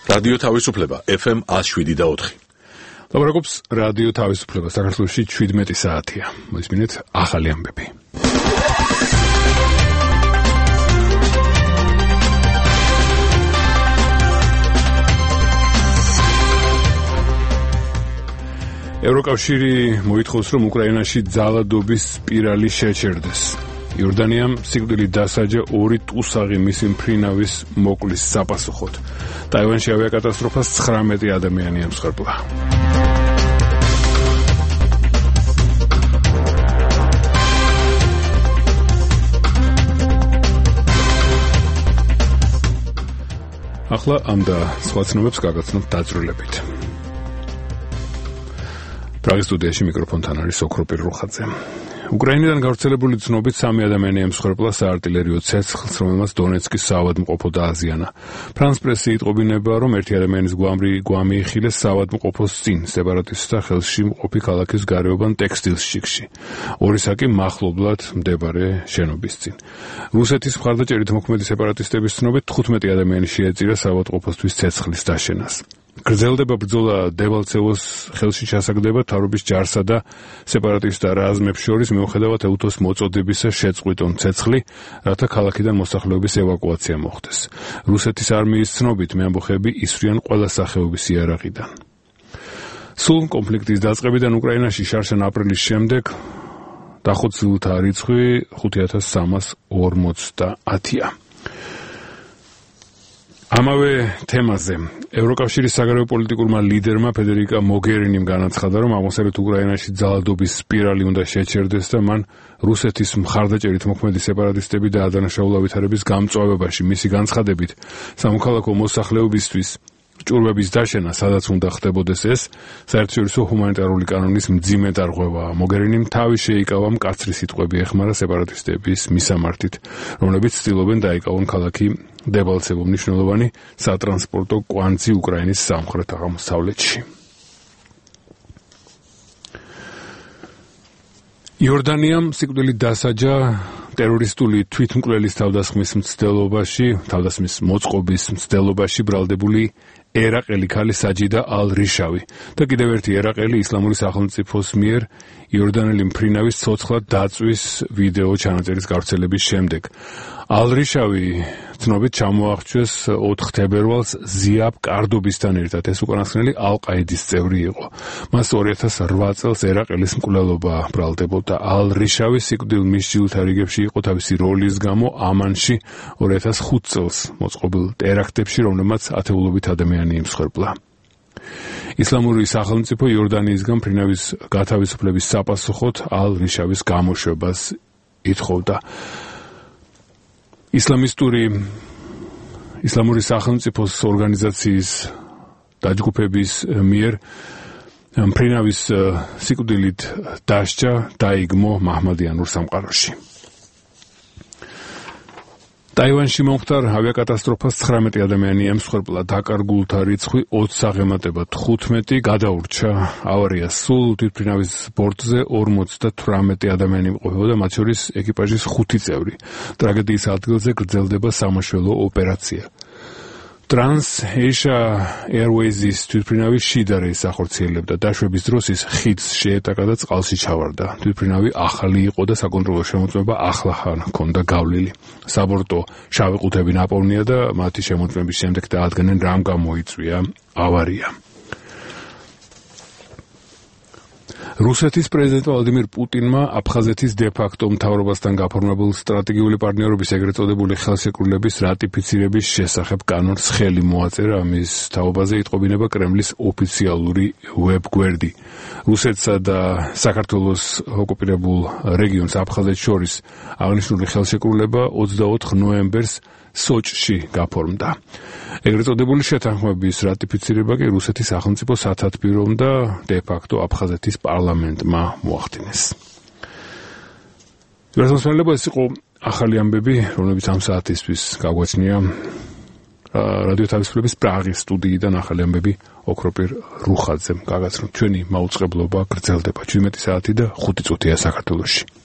რადიო თავისუფლება FM 107.4. ლაპარაკობს რადიო თავისუფლება საქართველოში 17 საათია. მოისმინეთ ახალი ამბები. ევროკავშირი მოითხოვს, რომ უკრაინაში ძალადობის სპირალი შეჩერდეს. იორდანიამ სიკვდილით დასაჯა 2 ტუსაღი მისი მფრინავის მოკლის საპასუხოდ. ტაივანში ავიაკატასტროფას 19 ადამიანი ემსხვერპლა. ახლა ამ და სხვა ცნობებს გაგაცნობთ დაწვრილებით. პრაღის სტუდიაში მიკროფონთან არის ოქროპირ რუხაძე. უკრაინიდან გავრცელებული ცნობით 3 ადამიანი ემსხვერპლა საარტილერიო ცეცხლს, რომელმაც დონეცკის საავადმყოფო დააზიანა. ფრანს პრესი იტყობინება, რომ 1 ადამიანის გვამი იხილეს საავადმყოფოს წინ, სეპარატისტთა ხელში მყოფი ქალაქის გარეუბან ტექსტილშიკში. 2 საკი მახლობლად მდებარე შენობის წინ. რუსეთის მხარდაჭერით მოქმედი სეპარატისტების ცნობით 15 ადამიანი შეეწირა საავადმყოფოსთვის ცეცხლის დაშენას. გრძელდება ბრძოლა დებალცევოს ხელში ჩასაგდება თავრობის ჯარსა და სეპარატისტთა რაზმებს შორის, მიუხედავად ეუთოს მოწოდებისა შეწყვიტონ ცეცხლი, რათა ქალაქიდან მოსახლეობის ევაკუაცია მოხდეს. რუსეთის არმიის ცნობით მეამბოხეები ისვრიან ყველა სახეობის იარაღიდან. სულ კონფლიქტის დაწყებიდან უკრაინაში შარშან აპრილის შემდეგ დახოცილთა რიცხვი 5350-ია. ამავე თემაზე ევროკავშირის საგარეო პოლიტიკურმა ლიდერმა ფედერიკა მოგერინიმ განაცხადა, რომ აღმოსავლეთ უკრაინაში ძალადობის სპირალი უნდა შეჩერდეს და მან რუსეთის მხარდაჭერით მოქმედი სეპარატისტები და ადანაშაულ ავითარების გამწვავებაში მისი განცხადებით სამოქალაქო მოსახლეობისთვის ჭურვების დაშენა, სადაც უნდა ხდებოდეს ეს, საერთაშორისო ჰუმანიტარული კანონის მძიმე დარღვევაა. მოგერინიმ თავი შეიკავა მკაცრი სიტყვები ეხმარა სეპარატისტების მისამართით, რომლებიც ცდილობენ დაიკავონ ქალაქი დებალცევო, მნიშვნელოვანი სატრანსპორტო კვანძი უკრაინის სამხრეთ-აღმოსავლეთში. იორდანიამ სიკვდილით დასაჯა ტერორისტული თვითმკვლელის თავდასხმის მოწყობის მცდელობაში ბრალდებული ერაყელი ქალი საჯიდა ალ-რიშავი და კიდევ ერთი ერაყელი ისლამური სახელმწიფოს მიერ იორდანელი მფრინავის ცოცხლად დაწვის ვიდეო ჩანაწერის გავრცელების შემდეგ. ალ-რიშავი ცნობით ჩამოაღწიეს 4 თებერვალს ზიაბ კარდობისთან ერთად. ეს უკანასკნელი ალ-ყაიდის წევრი იყო. მას 2008 წელს ერაყელის მკვლელობა ბრალდებოდა. ალ-რიშავი სიკვდილ მისჯილთა რიგებში იყო თავისი როლის გამო ამანში 2005 წელს მოწყობილ ტერაქტებში, რომლებმაც ათეულობით ადამიანი იმსხვერპლა. ისლამური სახელმწიფო იორდანიისგან მფრინავის გათავისუფლების საპასუხოდ ალ-რიშავის გამოშვებას ითხოვდა. ისლამური სახელმწიფოს ორგანიზაციის დაჯგუფების მიერ მფრინავის სიკვდილით დასჯა დაიგმო მაჰმადიანურ სამყაროში. ტაივანში მომხდარ ავიაკატასტროფას 19 ადამიანი ემსხვერპლა, დაკარგულთა რიცხვი 20 აღემატება 15, გადაურჩა ავარია სულ თვითმფრინავის ბორტზე 58 ადამიანი იმყოფებოდა, მათ შორის ეკიპაჟის 5 წევრი. ტრაგედიის ადგილზე გრძელდება სამაშველო ოპერაცია. Trans-Asia Airways-ის თვითმფრინავი შიდა რეისს ახორციელებდა. დაშვების დროს ის ხიდს შეეტაკა და წყალში ჩავარდა. თვითმფრინავი ახალი იყო და საკონტროლო შემოწმება ახლა ჰქონდა გავლილი. საბორტო შავი ყუთები ნაპოვნია და მათი შემოწმების შემდეგ დაადგენენ რამ გამოიწვია ავარია. რუსეთის პრეზიდენტ ვლადიმირ პუტინმა აფხაზეთის დე-ფაქტო მთავრობასთან გაფორმებულ სტრატეგიული პარტნიორობის ეგრეთ წოდებული ხელშეკრულების რატიფიცირების შესახებ კანონს ხელი მოაწერა. ამის თაობაზე იტყობინება კრემლის ოფიციალური ვებგვერდი. რუსეთსა და საქართველოს ოკუპირებულ რეგიონს აფხაზეთს შორის აღნიშნული ხელშეკრულება 24 ნოემბერს სოჭში გაფორმდა. ეგრეთ წოდებული შეთანხმების რატიფიცირება კი რუსეთის სახელმწიფო სათათბირომ და დე-ფაქტო აფხაზეთის პარლამენტმა მოახდინეს. ეს იყო ახალი ამბები, რომლებიც ამ საათისთვის გაგვეცნია რადიო თავისუფლების პრაღის სტუდიიდან. ახალი ამბები ოქროპირ რუხაძემ გაგაცნოთ. ჩვენი მაუწყებლობა გრძელდება 17 საათი და 5 წუთია საქართველოში.